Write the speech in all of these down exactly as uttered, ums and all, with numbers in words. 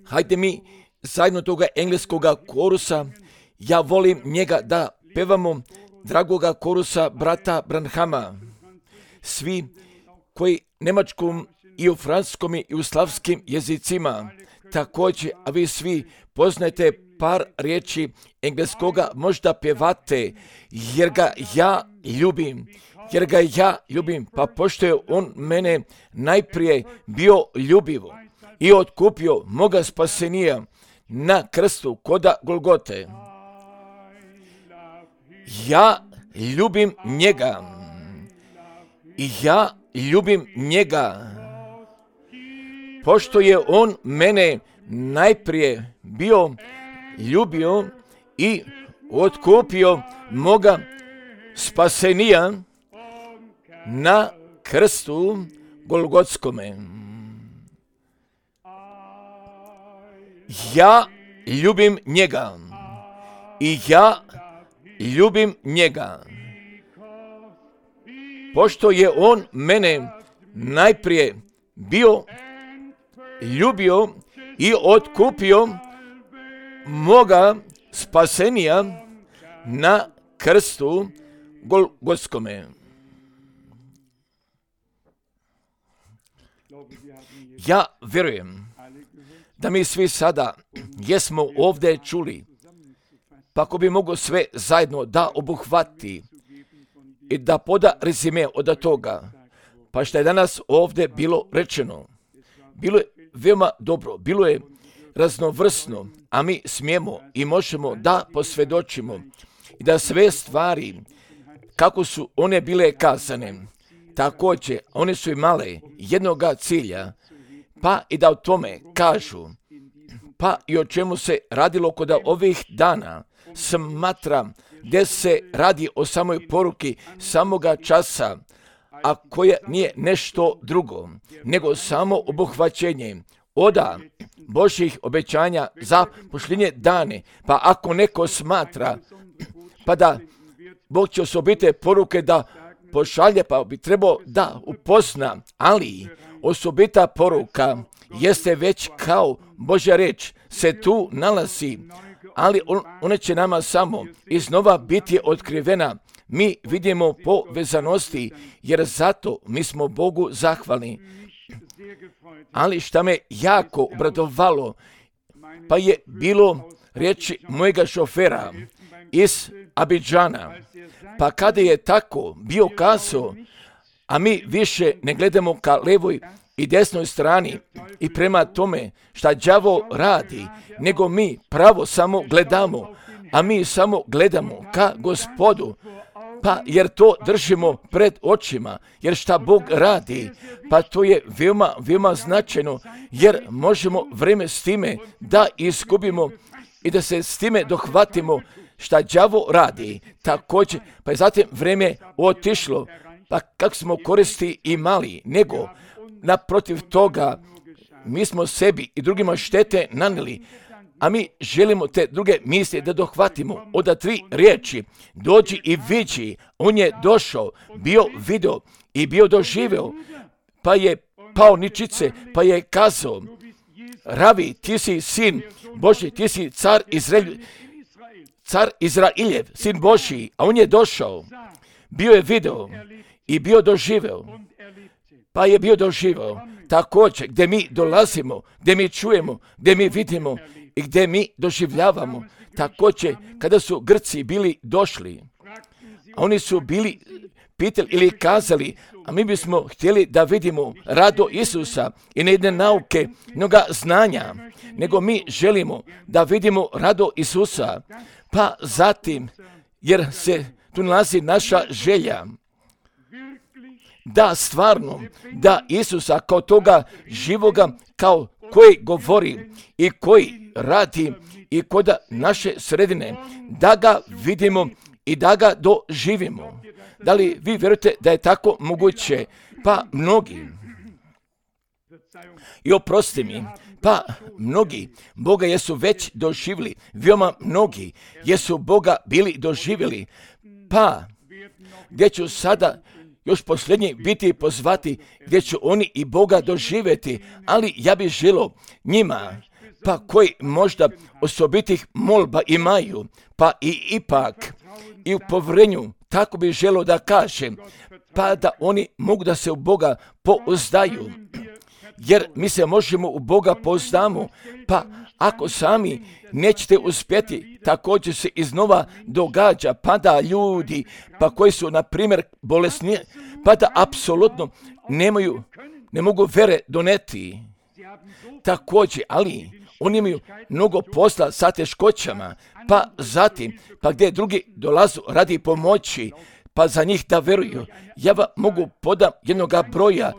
Hajde mi zajedno toga engleskoga korusa, ja volim njega da pevamo, dragoga korusa brata Branhama. Svi koji nemačkom i u francuskom i u slavskim jezicima, također, a vi svi poznajete par riječi engleskoga, možda pjevate, jer ga ja ljubim, jer ga ja ljubim, pa pošto je on mene najprije bio ljubivo i otkupio moga spasenija na krstu koda Golgote. Ja ljubim njega i ja ljubim njega, pošto je on mene najprije bio ljubio i otkupio moga spasenija na krstu Golgotskome. Ja ljubim njega i ja ljubim njega, pošto je on mene najprije bio ljubio i otkupio moga spasenija na krstu Golgotskome. Ja vjerujem da mi svi sada jesmo ovdje čuli, pa ako bi mogo sve zajedno da obuhvati i da poda rezime od toga, pa što je danas ovdje bilo rečeno, bilo je veoma dobro, bilo je raznovrsno, a mi smijemo i možemo da posvjedočimo i da sve stvari, kako su one bile kazane, također one su imale jednoga cilja, pa i da o tome kažu, pa i o čemu se radilo kod ovih dana, smatram gdje se radi o samoj poruki samoga časa, a koja nije nešto drugo, nego samo obuhvaćenje oda Božjih obećanja za posljednje dane. Pa ako neko smatra, pa da Bog će osobite poruke da pošalje, pa bi trebao da upozna, ali osobita poruka jeste već kao Božja reč se tu nalazi, ali on, ona će nama samo iznova biti otkrivena. Mi vidimo povezanosti, jer zato mi smo Bogu zahvalni. Ali šta me jako obradovalo, pa je bilo riječi mojega šofera iz Abidžana, pa kada je tako bio kazao, a mi više ne gledamo ka levoj i desnoj strani i prema tome šta đavo radi, nego mi pravo samo gledamo, a mi samo gledamo ka Gospodu, pa jer to držimo pred očima, jer šta Bog radi, pa to je veoma, veoma značajno, jer možemo vreme s time da izgubimo i da se s time dohvatimo šta đavo radi. Također, pa je zatim vreme otišlo, pa kako smo koristi imali, nego naprotiv toga mi smo sebi i drugima štete nanijeli, a mi želimo te druge misli da dohvatimo. Oda tri riječi, dođi i viđi, on je došao, bio video i bio doživeo, pa je pao ničice, pa je kazao, Ravi, ti si sin Božji, ti si car Izrael, car Izrailjev, sin Božji, a on je došao, bio je video i bio doživeo, pa je bio doživeo. Također, gdje mi dolazimo, gdje mi čujemo, gdje mi vidimo i gdje mi doživljavamo. Također, kada su Grci bili došli, a oni su bili pitali ili kazali, a mi bismo htjeli da vidimo rado Isusa i ne jedne nauke, mnoga znanja, nego mi želimo da vidimo rado Isusa. Pa zatim, jer se tu nalazi naša želja, da stvarno, da Isusa kao toga živoga, kao koji govori i koji radi i kod naše sredine, da ga vidimo i da ga doživimo. Da li vi vjerujete da je tako moguće? Pa mnogi, i oprosti mi, pa mnogi Boga jesu već doživjeli, veoma mnogi jesu Boga bili doživjeli, pa gdje ću sada još posljednji biti pozvati, gdje će oni i Boga doživjeti, ali ja bih želio njima, pa koji možda osobitih molba imaju, pa i ipak i u povjerenju, tako bih želio da kažem, pa da oni mogu da se u Boga pouzdaju. Jer mi se možemo u Boga pouzdamo, pa ako sami nećete uspjeti, također se iznova događa, pa da ljudi, pa koji su, na primjer, bolesni, pa da apsolutno nemaju, ne mogu vere doneti. Također, ali oni imaju mnogo posla sa teškoćama, pa zatim, pa gdje drugi dolazu radi pomoći, pa za njih da veruju. Ja vam mogu podam jednoga broja,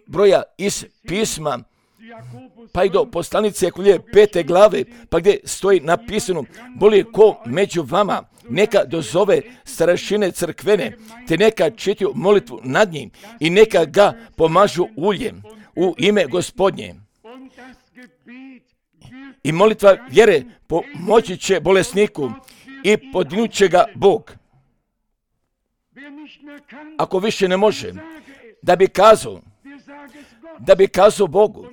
broja iz pisma, pa i do poslanice Jakobove pete glave, pa gdje stoji napisano, boli ko među vama, neka dozove starešine crkvene, te neka čitaju molitvu nad njim i neka ga pomažu uljem u ime Gospodnje. I molitva vjere pomoći će bolesniku i podignut će ga Bog. Ako više ne može, da bi kazao, da bi kazao Bogu,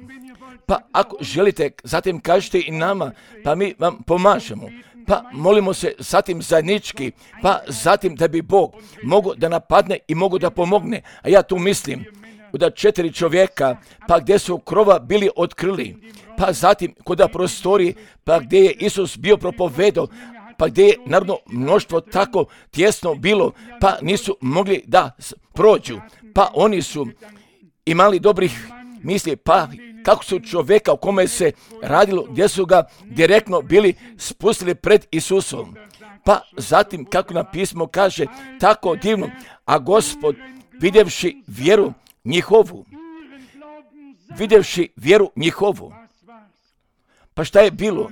pa ako želite, zatim kažete i nama, pa mi vam pomažemo, pa molimo se zatim zajednički, pa zatim da bi Bog mogu da napadne i mogu da pomogne. A ja tu mislim da četiri čovjeka, pa gdje su krova bili otkrili, pa zatim kod prostori, pa gdje je Isus bio propovedao, pa gdje je narodno mnoštvo tako tjesno bilo, pa nisu mogli da prođu, pa oni su imali dobrih misli, pa kako su čovjeka o kome se radilo, gdje su ga direktno bili spustili pred Isusom. Pa zatim, kako na pismo kaže, tako divno, a Gospod, vidjevši vjeru njihovu, vidjevši vjeru njihovu, pa šta je bilo?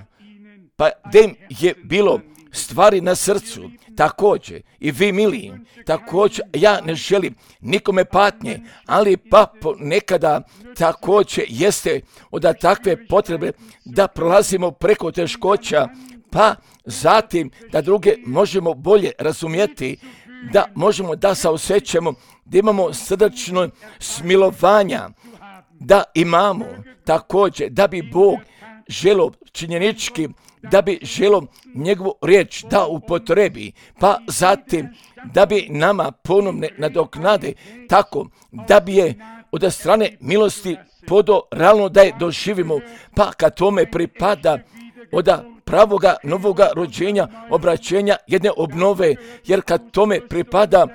Pa gdje im je bilo stvari na srcu, također, i vi miliji, također, ja ne želim nikome patnje, ali pa nekada također jeste od takve potrebe da prolazimo preko teškoća, pa zatim da druge možemo bolje razumjeti, da možemo da se osjećamo, da imamo srdačno smilovanja, da imamo također, da bi Bog želio činjenički, da bi želio njegovu riječ da upotrebi, pa zatim da bi nama ponovne nadoknade tako, da bi je od strane milosti podo realno da je doživimo, pa kad tome pripada od pravoga novoga rođenja, obraćenja jedne obnove, jer kad tome pripada,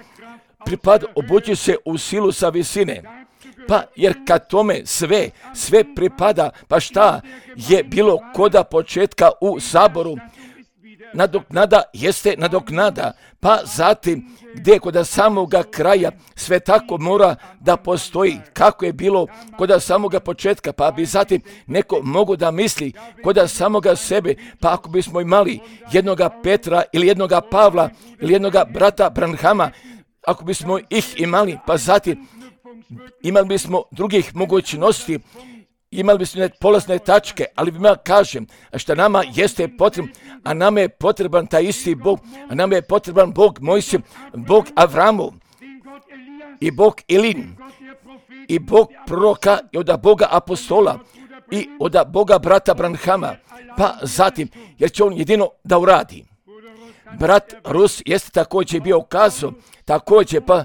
pripada obući se u silu sa visine. Pa jer kad tome sve, sve pripada, pa šta je bilo koda početka u saboru, nadoknada jeste nadoknada, pa zatim gdje koda samoga kraja sve tako mora da postoji kako je bilo koda samoga početka, pa bi zatim neko mogu da misli koda samoga sebe, pa ako bismo imali jednoga Petra ili jednoga Pavla ili jednoga brata Branhama, ako bismo ih imali, pa zatim imali bismo drugih mogućnosti, imali bismo polazne tačke, ali ja kažem, što nama jeste potrebno, a nama je potreban taj isti Bog, a nama je potreban Bog Mojsije, Bog Avramov, i Bog Ilin, i Bog proroka, i od Boga apostola, i od Boga brata Branhama, pa zatim, jer će on jedino da uradi. Brat Rus jeste također bio kazao, također pa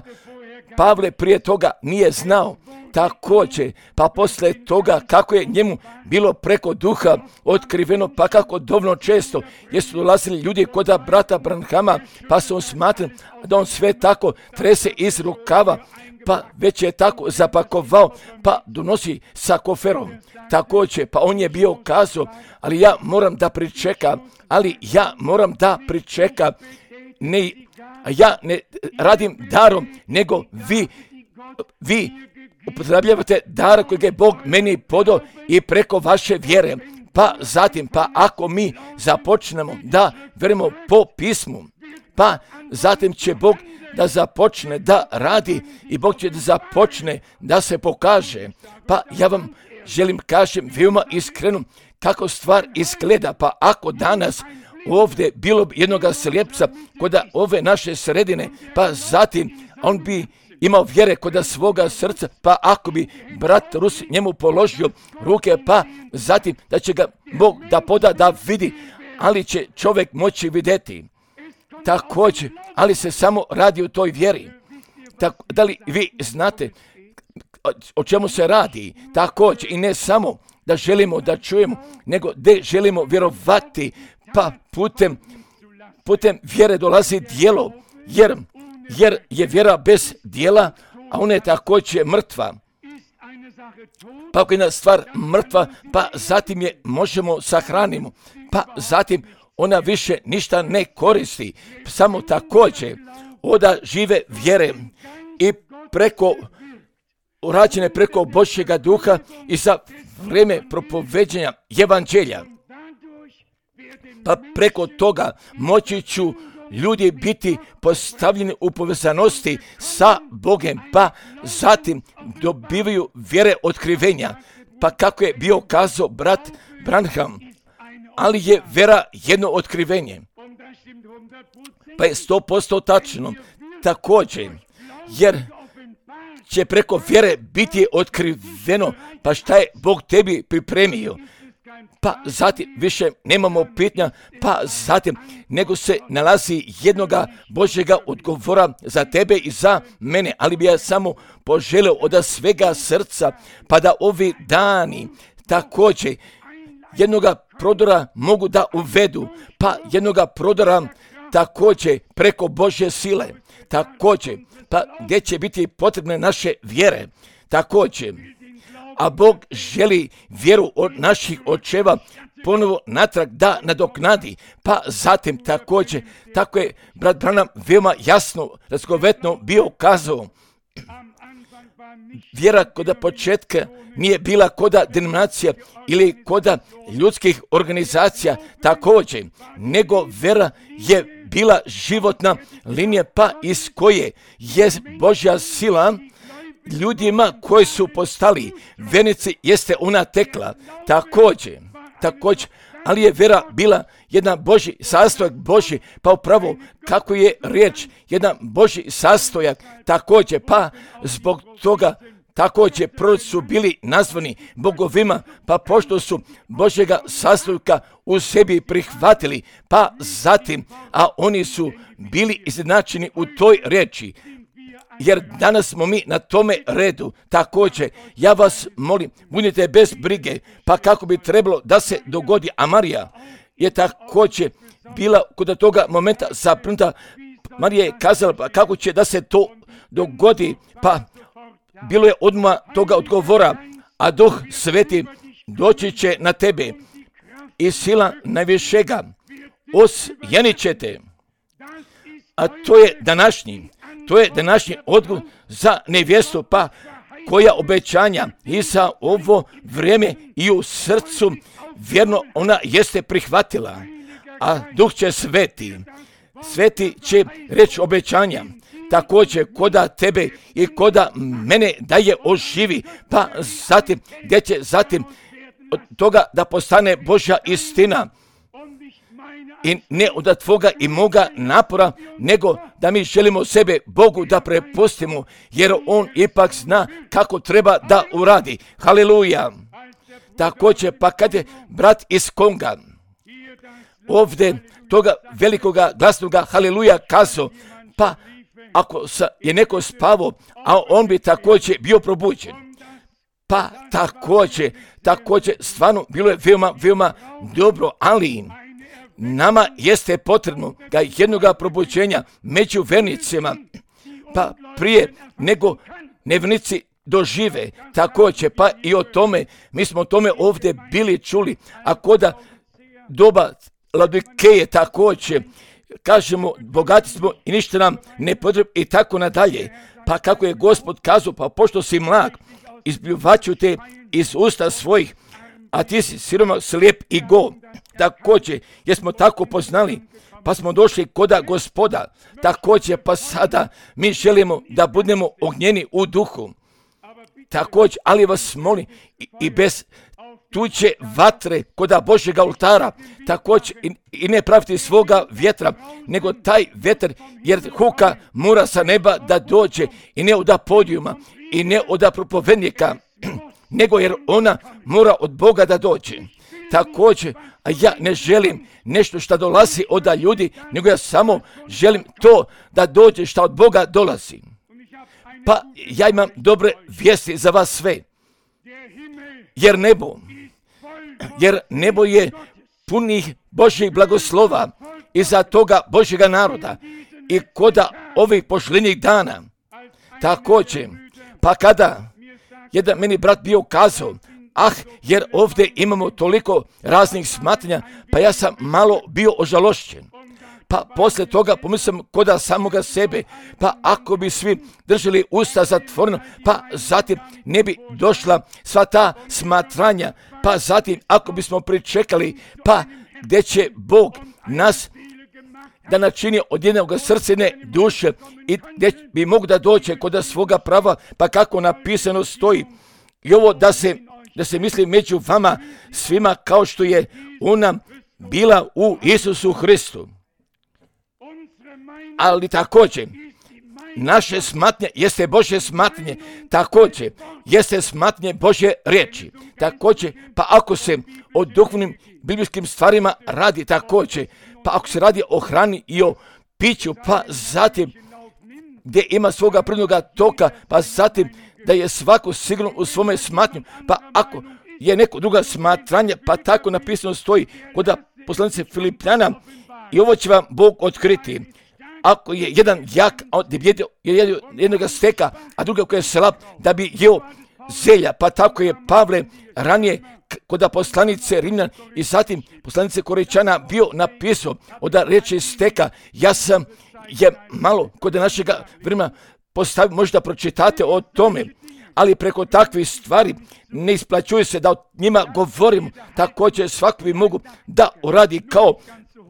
Pavle prije toga nije znao, također, pa poslije toga kako je njemu bilo preko duha otkriveno, pa kako dovoljno često jesu dolazili ljudi kod brata Branhama, pa su on smatrali da on sve tako trese iz rukava, pa već je tako zapakovao, pa donosi sa koferom. Također, pa on je bio kazao, ali ja moram da pričekam, ali ja moram da pričekam, ne, ja ne radim darom, nego vi, vi upotrebljavate dar kojeg je Bog meni podao i preko vaše vjere. Pa zatim, pa ako mi započnemo da verimo po pismu, pa zatim će Bog da započne da radi i Bog će da započne da se pokaže. Pa ja vam želim kažem veoma iskreno kako stvar izgleda, pa ako danas ovdje bilo bi jednoga slijepca kod ove naše sredine, pa zatim on bi imao vjere kod svoga srca, pa ako bi brat Rus njemu položio ruke, pa zatim da će ga Bog da poda da vidi, ali će čovjek moći vidjeti. Također, ali se samo radi o toj vjeri. Tako, da li vi znate o čemu se radi? Također, i ne samo da želimo da čujemo, nego da želimo vjerovati, pa putem, putem vjere dolazi djelo, jer, jer je vjera bez djela, a ona je također mrtva. Pa ako je jedna stvar mrtva, pa zatim je možemo sahranimo, pa zatim ona više ništa ne koristi. Samo također oda žive vjere i preko urađene preko Božjega duha i za vrijeme propoveđenja evanđelja. Pa preko toga moći ću ljudi biti postavljeni u povezanosti sa Bogom, pa zatim dobivaju vjere otkrivenja. Pa kako je bio kazao brat Branham, ali je vjera jedno otkrivenje. Pa je sto posto tačno također, jer će preko vjere biti otkriveno, pa šta je Bog tebi pripremio. Pa zatim više nemamo pitanja, pa zatim nego se nalazi jednoga Božjega odgovora za tebe i za mene, ali bi ja samo poželio od svega srca, pa da ovi dani također jednoga prodora mogu da uvedu, pa jednoga prodora također preko Božje sile, također, pa gdje će biti potrebne naše vjere, također. A Bog želi vjeru od naših očeva ponovo natrag da nadoknadi, pa zatim također, tako je brat Branham veoma jasno, razgovetno bio kazao, vjera koda početka nije bila koda denominacija ili koda ljudskih organizacija također, nego vjera je bila životna linija, pa iz koje je Božja sila ljudima koji su postali vjernici jeste ona tekla također, također, ali je vjera bila jedan Božji sastojak Božji, pa upravo kako je riječ, jedan Božji sastojak također, pa zbog toga također proroci su bili nazvani bogovima, pa pošto su Božjega sastojka u sebi prihvatili, pa zatim, a oni su bili izjednačeni u toj riječi. Jer danas smo mi na tome redu. Također, ja vas molim, budite bez brige, pa kako bi trebalo da se dogodi. A Marija je također bila kod toga momenta zaprinuta. Marija je kazala, pa kako će da se to dogodi, pa bilo je odmah toga odgovora, a Duh Sveti doći će na tebe i sila najvišega osjenit će te. A to je današnji. To je današnji odgovor za nevjestu, pa koja obećanja i za ovo vrijeme i u srcu vjerno ona jeste prihvatila. A Duh će sveti, sveti će reći obećanja, također koda tebe i koda mene da je oživi, pa zatim gdje će zatim od toga da postane Božja istina. I ne od tvoga i moga napora, nego da mi želimo sebe Bogu da prepustimo, jer On ipak zna kako treba da uradi. Haleluja! Također, pa kad je brat iz Konga ovdje toga velikoga glasnoga haleluja kazao, pa ako je neko spavao, a on bi također bio probuđen. Pa također, također, stvarno bilo je veoma, veoma dobro, ali nama jeste potrebno ga jednoga probuđenja među vernicima, pa prije nego nevjernici dožive također, pa i o tome, mi smo o tome ovdje bili čuli, a koda doba Laodikeje također, kažemo, bogati smo i ništa nam ne potrebno i tako nadalje, pa kako je Gospod kazao, pa pošto si mlad, izbljuvaću te iz usta svojih, a ti si siroma, slijep i go. Također, jer smo tako poznali, pa smo došli koda Gospoda, također, pa sada mi želimo da budemo ognjeni u duhu. Također, ali vas molim i, i bez tuče vatre koda Božjega oltara, također i, i ne praviti svoga vjetra, nego taj vjetar, jer huka mora sa neba da dođe i ne od podijuma i ne od propovednika, nego jer ona mora od Boga da dođe. Također, a ja ne želim nešto što dolazi od ljudi, nego ja samo želim to da dođe što od Boga dolazi. Pa ja imam dobre vijesti za vas sve. Jer nebo, jer nebo je punih Božjih blagoslova iza toga Božjega naroda i koda ovih posljednjih dana. Također, pa kada jedan meni brat bio kazao, ah, jer ovdje imamo toliko raznih smatranja, pa ja sam malo bio ožalošćen. Pa poslije toga pomislim koda samoga sebe, pa ako bi svi držali usta zatvoreno, pa zatim ne bi došla sva ta smatranja, pa zatim ako bismo pričekali, pa gdje će Bog nas da načini od jednog srcene duše i gdje bi mogu da dođe kod svoga prava, pa kako napisano stoji. I ovo da se, da se misli među vama svima kao što je ona bila u Isusu Hristu. Ali također, naše smatnje jeste Božje smatnje, također jeste smatnje Božje riječi. Također, pa ako se o duhovnim biblijskim stvarima radi također, pa ako se radi o hrani i o piću, pa zatim gdje ima svoga prirodnoga toka, pa zatim da je svako sigurno u svome smatnju, pa ako je neko druga smatranje, pa tako napisano stoji kod poslanice Filipljana, i ovo će vam Bog otkriti. Ako je jedan jak, je jednoga steka, a druga koja je slab, da bi jeo zelja, pa tako je Pavle ranije kod poslanice Rimljan i zatim poslanice Korečana bio napisao od reči steka. Ja sam je malo kod našega vremena postavio, možda pročitate o tome, ali preko takvih stvari ne isplaćuje se da o njima govorimo. Također svako bi mogu da uradi kao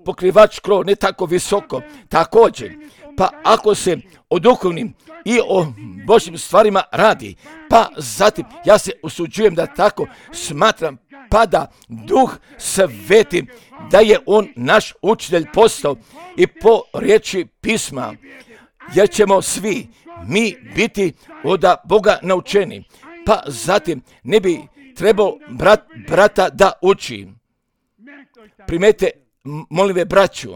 pokrivač krov, ne tako visoko. Također, pa ako se o duhovnim i o Božjim stvarima radi, pa zatim ja se usuđujem da tako smatram, pa da Duh Sveti, da je on naš učitelj postao i po riječi pisma, jer ćemo svi mi biti od Boga naučeni, pa zatim ne bi trebao brat brata da uči. Primete, molim ve braću,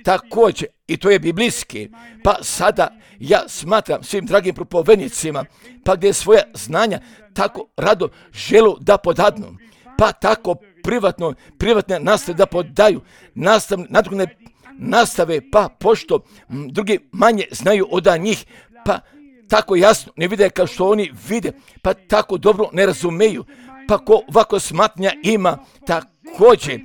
također, i to je biblijski, pa sada ja smatram svim dragim propovednicima, pa gdje svoja znanja tako rado želu da podadnu, pa tako privatno, privatne nastave da podaju, nastav, nadrugne nastave, pa pošto m, drugi manje znaju od njih, pa tako jasno ne vide kao što oni vide, pa tako dobro ne razumeju, pa ko ovako smatnja ima, također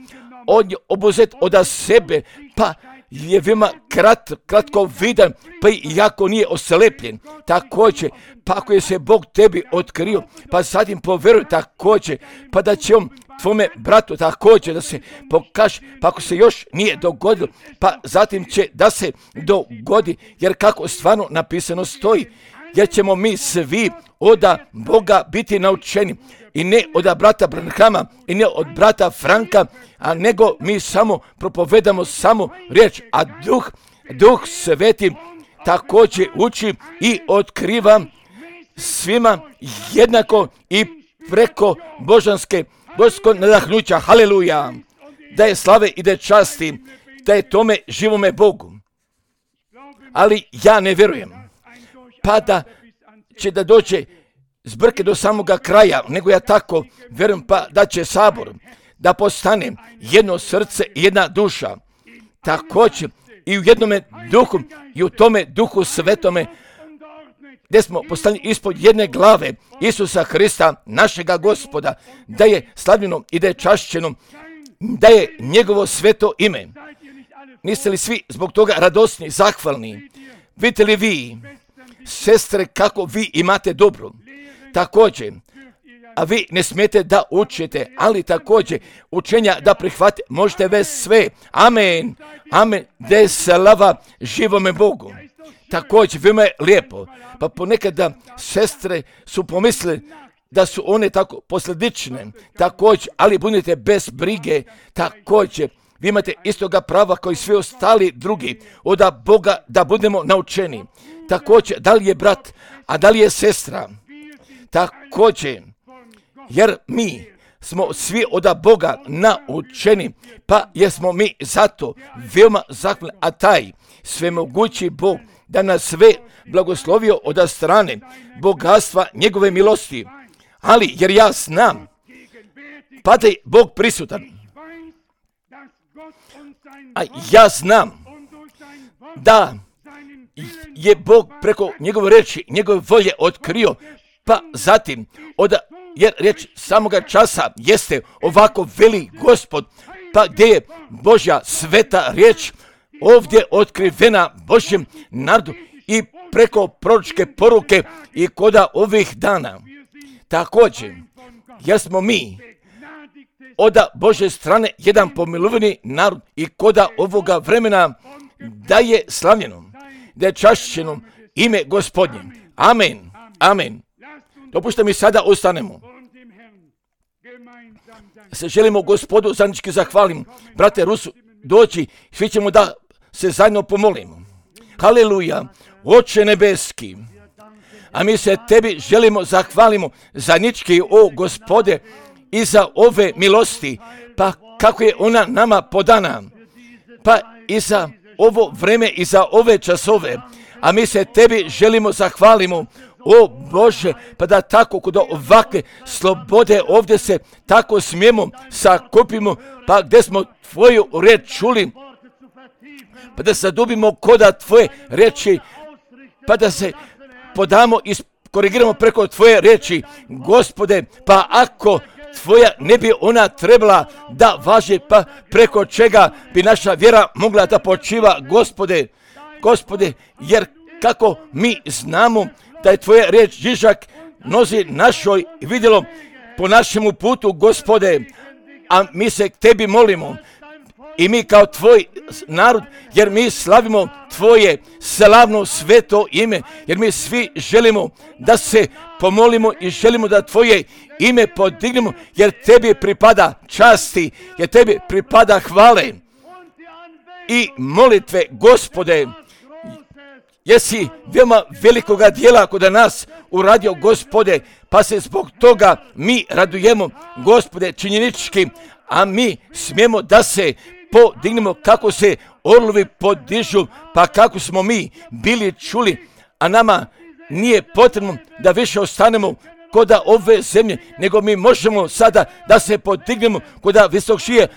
on je obuzet od sebe, pa je veoma krat, kratko vidan, pa i jako nije oslepljen. Također, pa ako je se Bog tebi otkrio, pa zatim povjeruj također, pa da će on tvome bratu također da se pokaže, pa ako se još nije dogodilo, pa zatim će da se dogodi, jer kako stvarno napisano stoji, jer ćemo mi svi od Boga biti naučeni. I ne od brata Branhama i ne od brata Franka, a nego mi samo propovedamo samo riječ, a Duh, Duh Sveti također uči i otkriva svima jednako i preko božanske, božanskog nadahnuća. Haleluja! Da je slave i da je časti, da je tome živome Bogu. Ali ja ne vjerujem, pa da će da dođe zbrke do samoga kraja, nego ja tako vjerujem, pa da će sabor da postane jedno srce i jedna duša. Također i u jednome duhu i u tome Duhu Svetome, gdje smo postali ispod jedne glave Isusa Hrista, našega Gospoda, da je slavljeno i da je čašćeno, da je njegovo sveto ime. Niste li svi zbog toga radosni, zahvalni? Vidite li vi, sestre, kako vi imate dobro? Također, a vi ne smijete da učite, ali također učenja da prihvate, možete već sve. Amen, amen, da je slava živome Bogu. Također, veoma je lijepo, pa ponekada sestre su pomislili da su one tako posljedične, također, ali budite bez brige, također, vi imate istoga prava kao i svi ostali drugi, od Boga da budemo naučeni. Također, da li je brat, a da li je sestra, također, jer mi smo svi od Boga naučeni, pa jesmo mi zato veoma zahvalni, a taj svemogući Bog da nas sve blagoslovio od strane bogatstva njegove milosti. Ali, jer ja znam, pa da je Bog prisutan, a ja znam da je Bog preko njegove reči, njegove volje otkrio, pa zatim, od, jer reč samoga časa jeste ovako veli Gospod, pa gdje je Božja sveta riječ ovdje otkrivena Božjem narodu i preko proročke poruke i koda ovih dana. Također, jer smo mi od Božje strane jedan pomilovani narod i koda ovoga vremena da je slavljeno, da je čašćeno ime Gospodnje. Amen, amen. Dopušte mi sada ostanemo. Se želimo Gospodu zajednički zahvalimo. Brate Rusu, doći, svi ćemo da se zajedno pomolimo. Haleluja, Oče nebeski, a mi se tebi želimo zahvalimo zajednički, o Gospode, i za ove milosti, pa kako je ona nama podana, pa i za ovo vreme i za ove časove, a mi se tebi želimo zahvalimo, o Bože, pa da tako kod ovakve slobode ovdje se tako smijemo sakupimo, pa gdje smo tvoju reč čuli, pa da zadubimo koda tvoje reči, pa da se podamo i korigiramo preko tvoje reči, Gospode, pa ako tvoja ne bi ona trebala da važi, pa preko čega bi naša vjera mogla da počiva, Gospode, Gospode, jer kako mi znamo da je tvoja riječ žižak nozi našoj vidjelo po našemu putu, Gospode, a mi se tebi molimo i mi kao tvoj narod, jer mi slavimo tvoje slavno sveto ime, jer mi svi želimo da se pomolimo i želimo da tvoje ime podignemo, jer tebi pripada časti, jer tebi pripada hvale i molitve, Gospode. Jesi veoma velikoga dijela kod nas uradio, Gospode, pa se zbog toga mi radujemo, Gospode, činjenički, a mi smijemo da se podignemo kako se orlovi podižu, pa kako smo mi bili čuli, a nama nije potrebno da više ostanemo kod ove zemlje, nego mi možemo sada da se podignemo kod visokšije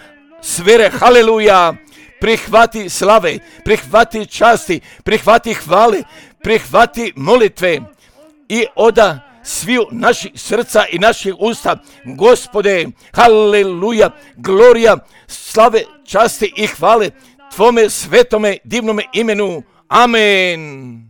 sfere. Haleluja! Prihvati slave, prihvati časti, prihvati hvale, prihvati molitve i oda sviju naših srca i naših usta, Gospode, haleluja, glorija, slave, časti i hvale tvome svetome divnome imenu. Amen.